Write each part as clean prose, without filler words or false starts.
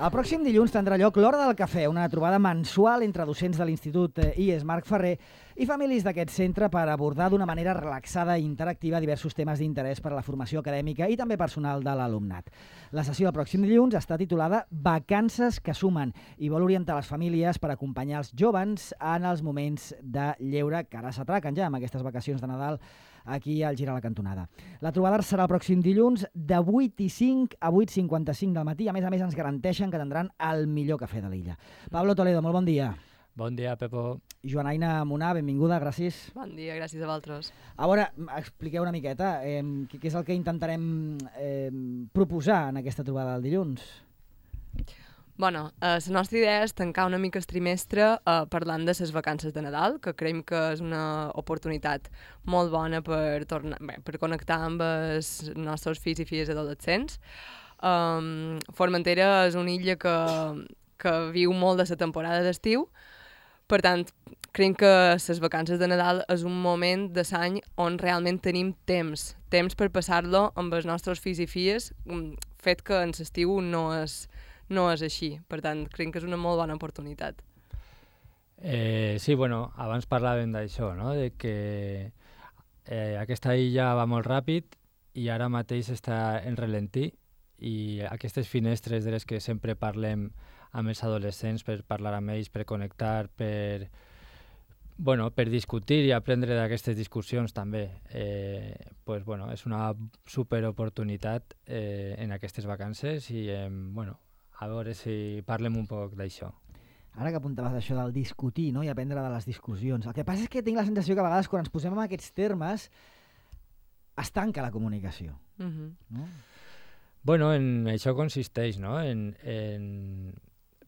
El pròxim dilluns tindrà lloc l'Hora del Cafè, una trobada mensual entre docents de l'Institut IES Marc Ferrer i famílies d'aquest centre per abordar d'una manera relaxada i interactiva diversos temes d'interès per a la formació acadèmica i també personal de l'alumnat. La sessió del pròxim dilluns està titulada Vacances que sumen i vol orientar les famílies per acompanyar els joves en els moments de lleure que ara s'atraquen ja amb aquestes vacacions de Nadal aquí al Girar la Cantonada. La trobada serà el pròxim dilluns de 8:05 a 8:55 del matí. A més, ens garanteixen que tindran el millor cafè de l'illa. Pablo Toledo, molt bon dia. Bon dia, Pepo. Joanaina Munà, benvinguda, gràcies. Bon dia, gràcies a vosaltres. A veure, expliqueu una miqueta què és el que intentarem proposar en aquesta trobada del dilluns. Bueno, la nostra idea és tancar una mica el trimestre parlant de les vacances de Nadal, que creiem que és una oportunitat molt bona per connectar amb els nostres fills i filles adolescents. Formentera és una illa que viu molt de la temporada d'estiu, per tant, creiem que les vacances de Nadal és un moment de l'any on realment tenim temps per passar-lo amb els nostres fills i filles, fet que en l'estiu no és així. Per tant, creiem que és una molt bona oportunitat. Sí, bueno, abans parlàvem d'això, no? De que aquesta illa va molt ràpid i ara mateix està en ralentí i aquestes finestres de les que sempre parlem amb els adolescents per parlar amb ells, per connectar, per discutir i aprendre d'aquestes discussions també. És una superoportunitat en aquestes vacances i a veure si parlem un poc d'això. Ara que apuntaves això del discutir, no? I aprendre de les discussions. El que passa és que tinc la sensació que a vegades quan ens posem en aquests termes es tanca la comunicació. No? Bueno, en això consisteix, no? En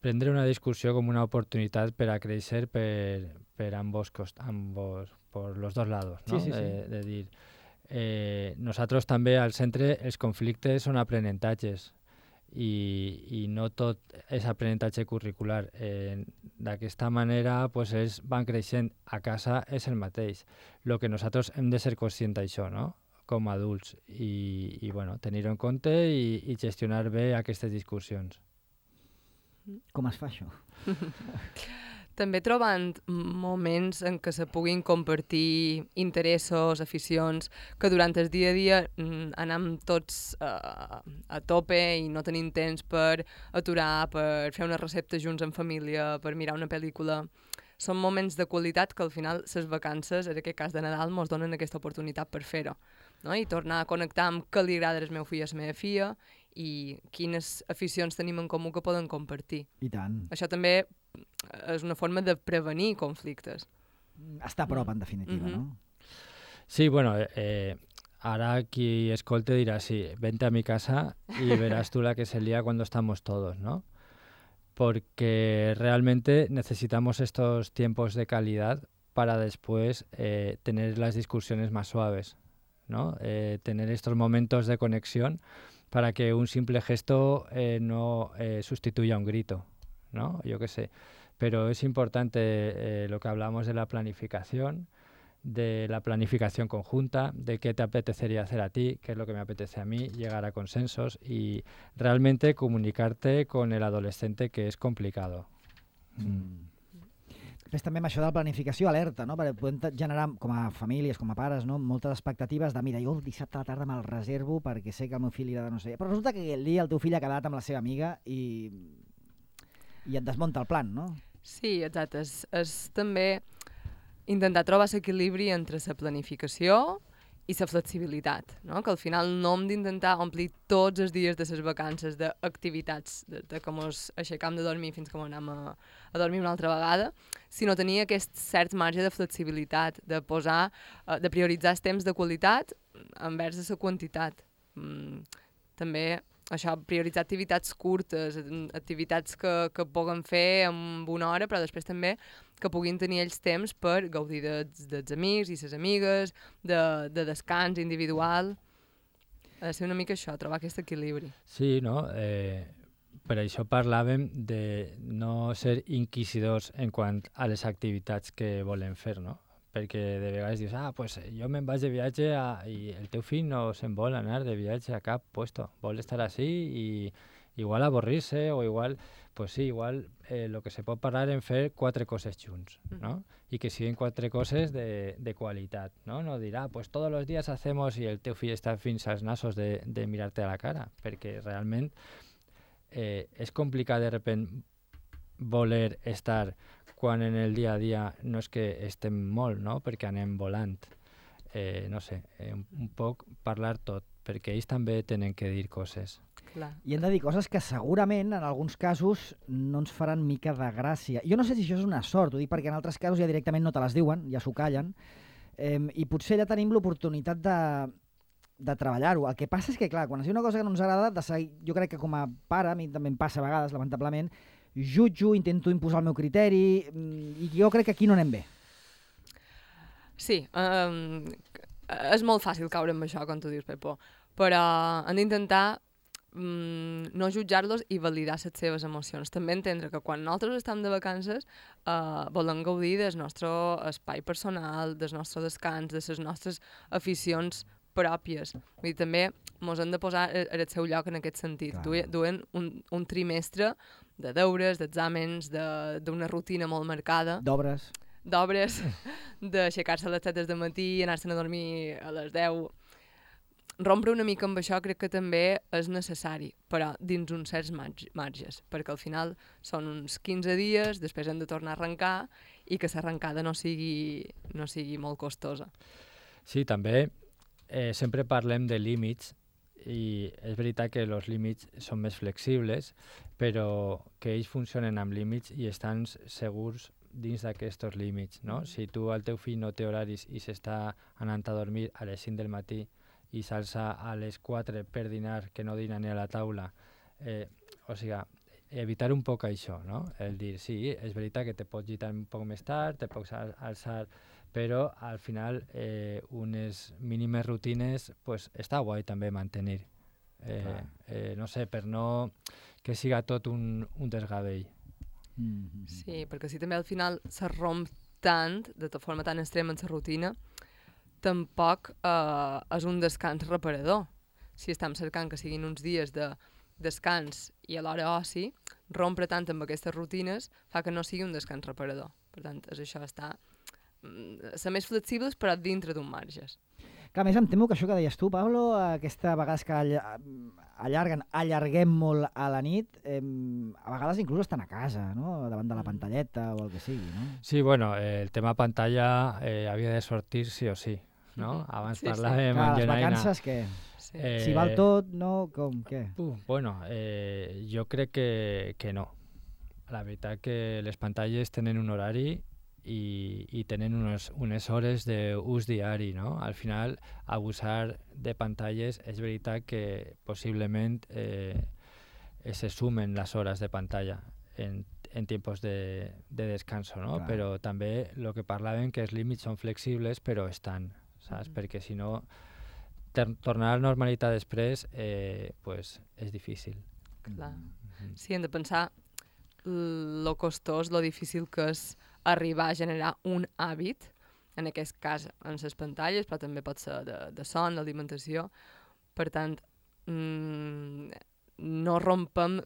prendre una discussió com una oportunitat per a créixer per ambos, por los dos lados, ¿no? Sí. De dir, nosaltres també al centre els conflictes són aprenentatges i no tot és aprenentatge curricular. D'aquesta manera ells van creixent, a casa és el mateix. El que nosaltres hem de ser conscients d'això, no? Com a adults i tenir-ho en compte i gestionar bé aquestes discussions. Com es fa això? També trobant moments en què se puguin compartir interessos, aficions, que durant el dia a dia anem tots a tope i no tenim temps per aturar, per fer una recepta junts en família, per mirar una pel·lícula. Són moments de qualitat que al final les vacances, en aquest cas de Nadal, ens donen aquesta oportunitat per fer-ho, no? I tornar a connectar amb què li agrada al meu fill i a la meva filla i quines aficions tenim en comú que poden compartir. I tant. Això també és una forma de prevenir conflictes. Està a prop, en definitiva, no? Sí, ara qui escolte dirà, sí, vente a mi casa y verás tú la que se lía cuando estamos todos, ¿no? Porque realmente necesitamos estos tiempos de calidad para después tener las discusiones más suaves, ¿no? Tener estos momentos de conexión para que un simple gesto no sustituya un grito, ¿no? Yo qué sé. Pero es importante lo que hablamos de la planificación conjunta, de qué te apetecería hacer a ti, qué es lo que me apetece a mí, llegar a consensos y realmente comunicarte con el adolescente, que es complicado. Després també amb això de la planificació alerta, no? Perquè podem generar com a famílies, com a pares, no? Moltes expectatives de, mira, jo dissabte a la tarda me'l reservo perquè sé que el meu fill li agrada no sé. Però resulta que el dia el teu fill ha quedat amb la seva amiga i et desmunta el plan, no? Sí, exacte. És també intentar trobar l'equilibri entre la planificació i la flexibilitat, no? Que al final no hem d'intentar omplir tots els dies de les vacances d'activitats, de com ens aixecam de dormir fins que anem a dormir una altra vegada, sinó tenir aquest cert marge de flexibilitat, de prioritzar els temps de qualitat envers la quantitat. També això, prioritzar activitats curtes, activitats que puguen fer en una hora, però després també que puguin tenir ells temps per gaudir dels amics i les amigues, de descans individual. Ha de ser una mica això, trobar aquest equilibri. Sí, no? Per això parlàvem de no ser inquisidors en quant a les activitats que volem fer, no? Perquè de vegades dius, jo me'n vaig de viatge i el teu fill no se'n vol anar de viatge a cap puesto, vol estar així igual avorrir-se o igual, pues sí, igual lo que se pot parlar en fer 4 coses junts, ¿no? I que siguin 4 coses de qualitat, ¿no? No dir, pues todos los días hacemos i el teu fill està fins als nassos de mirar-te a la cara, perquè realment és complicat de repent voler estar quan en el dia a dia no és que estem molt, no? Perquè anem volant. No sé, un poc parlar tot, perquè ells també tenen que dir coses. Clar. I hem de dir coses que segurament, en alguns casos, no ens faran mica de gràcia. Jo no sé si això és una sort, ho dic perquè en altres casos ja directament no te les diuen, ja s'ho callen, i potser ja tenim l'oportunitat de treballar-ho. El que passa és que, clar, quan es diu una cosa que no ens agrada, jo crec que com a pare, a mi també em passa a vegades, lamentablement, jutjo, intento imposar el meu criteri, i jo crec que aquí no anem bé. Sí, és molt fàcil caure amb això, com tu dius, Pepo, però hem d'intentar no jutjar-los i validar les seves emocions. També entendre que quan nosaltres estem de vacances volem gaudir del nostre espai personal, del nostre descans, de les nostres aficions pròpies. Vull dir, també ens hem de posar en el seu lloc en aquest sentit. Duen un trimestre de deures, d'exàmens, d'una rutina molt marcada. D'obres, d'aixecar-se a les 7 del matí, anar-se'n a dormir a les 10. Rompre una mica amb això crec que també és necessari, però dins uns certs marges, perquè al final són uns 15 dies, després hem de tornar a arrencar i que l'arrencada no sigui molt costosa. Sí, també sempre parlem de límits i és veritat que els límits són més flexibles, però que ells funcionen amb límits i estan segurs dins d'aquests límits, no? Si tu al teu fill no té horaris i s'està anant a dormir a les 5 del matí i s'alça a les 4 per dinar, que no dina ni a la taula, o sigui, evitar un poc això, no? El dir, sí, és veritat que te pots lluitar un poc més tard, te pots alçar, però al final unes mínimes rutines pues, està guai també mantenir. No sé, per no que siga tot un desgavell. Sí, perquè si també al final se romp tant, de forma tan extrema en la rutina, tampoc és un descans reparador. Si estem cercant que siguin uns dies de descans i alhora oci, rompre tant amb aquestes rutines fa que no sigui un descans reparador. Per tant, és això, ser més flexibles però dintre d'un marges. Que a més em temo que això que deies tu, Pablo, aquesta vegades que allarguem molt a la nit, a vegades inclús estan a casa, no? Davant de la pantalleta o el que sigui, no? Sí, bueno, el tema pantalla havia de sortir sí o sí, no? Abans parlàvem amb les Genaina. vacances, què? Si val tot, no? Com, què? Bueno, jo crec que no. La veritat que les pantalles tenen un horari i tenen unes hores d'ús diari, no? Al final, abusar de pantalles és veritat que possiblement se sumen les hores de pantalla en tiempos de descanso, no? Clar. Però també el que parlàvem que els límits són flexibles però estan, saps? Perquè si no, tornar a la normalitat després pues, és difícil. Clar. Sí, hem de pensar lo costós, lo difícil que és arribar a generar un hàbit, en aquest cas en les pantalles, però també pot ser de son, d'alimentació. Per tant, no rompem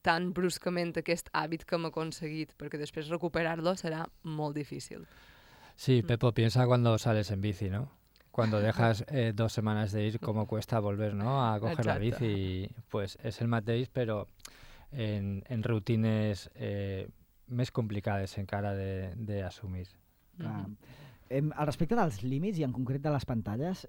tan bruscament aquest hàbit que hem aconseguit, perquè després recuperar-lo serà molt difícil. Sí, Pepo, piensa cuando sales en bici, ¿no? Cuando dejas 2 semanas de ir, cómo cuesta volver, ¿no? A coger la bici. Pues es el mateix, però en rutines més complicades encara d'assumir. Al respecte dels límits i en concret de les pantalles,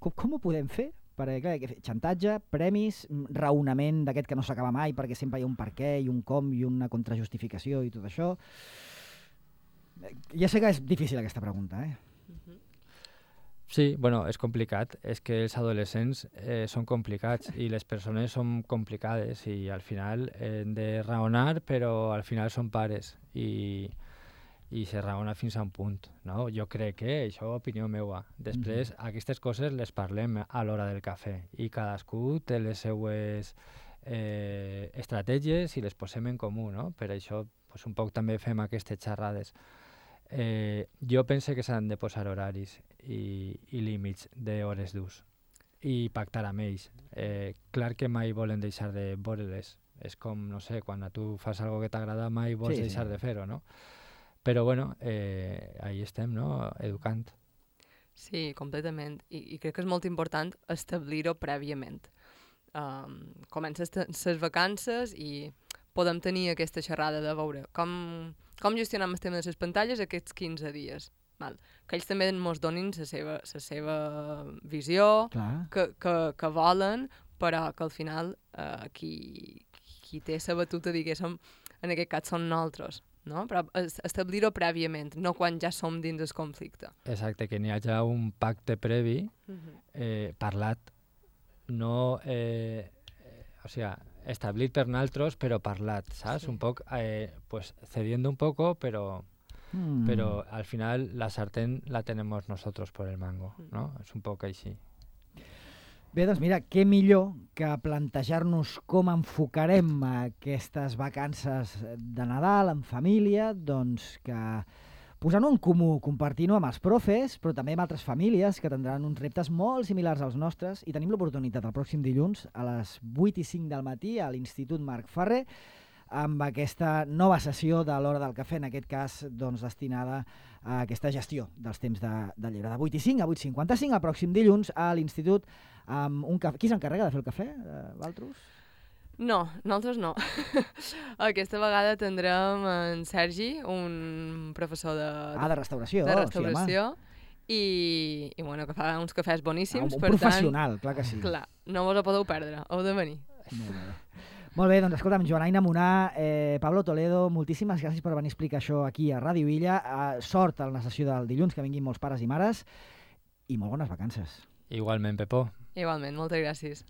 com ho podem fer? Perquè, clar, xantatge, premis, raonament d'aquest que no s'acaba mai perquè sempre hi ha un per què i un com i una contrajustificació i tot això. Ja sé que és difícil aquesta pregunta, Sí, bueno, és complicat. És que els adolescents són complicats i les persones són complicades i al final hem de raonar, però al final són pares i se raona fins a un punt, no? Jo crec que això és opinió meva. Després, aquestes coses les parlem a l'hora del cafè i cadascú té les seues estratègies i les posem en comú, no? Per això pues, un poc també fem aquestes xerrades. Jo penso que s'han de posar horaris i límits d'hores d'ús i pactar amb ells. Clar que mai volen deixar de veure-les. És com, no sé, quan a tu fas algo que t'agrada mai vols deixar de fer-ho, no? Però bueno, ahí estem, no? Educant. Sí, completament. I crec que és molt important establir-ho prèviament. Comences les vacances i podem tenir aquesta xerrada de veure com gestionem el tema de les pantalles aquests 15 dies. Val. Que ells també ens donin la seva visió, que volen, però que al final qui té la batuta, diguéssim, en aquest cas són nosaltres. No? Però establir-ho prèviament, no quan ja som dins el conflicte. Exacte, que n'hi hagi un pacte previ parlat, no, o sea, establit per nosaltres, però parlat, saps? Sí. Un poc, pues, cediendo un poco, pero al final la sartén la tenemos nosotros por el mango, ¿no? És un poc així. Bé, doncs mira, què millor que plantejar-nos com enfocarem aquestes vacances de Nadal en família, doncs que posant-ho en comú, compartint-ho amb els profes, però també amb altres famílies que tindran uns reptes molt similars als nostres, i tenim l'oportunitat el pròxim dilluns a les 8:05 del matí a l'Institut Marc Ferrer, amb aquesta nova sessió de l'Hora del Cafè, en aquest cas doncs, destinada a aquesta gestió dels temps de lleure. De 8:05 a 8:55, el pròxim dilluns a l'Institut, amb un cafè. Qui s'encarrega de fer el cafè, Valtros? No, nosaltres no. Aquesta vegada tindrem en Sergi, un professor de restauració. De restauració. Sí, i bueno, que fa uns cafès boníssims. Un professional, clar que sí. Clar, no vos ho podeu perdre, heu de venir. Molt bé, doncs escolta'm, Joanaina Munà, Pablo Toledo, moltíssimes gràcies per venir a explicar això aquí a Ràdio Illa. Sort a la sessió del dilluns, que vinguin molts pares i mares, i molt bones vacances. Igualment, Pepó. Igualment, moltes gràcies.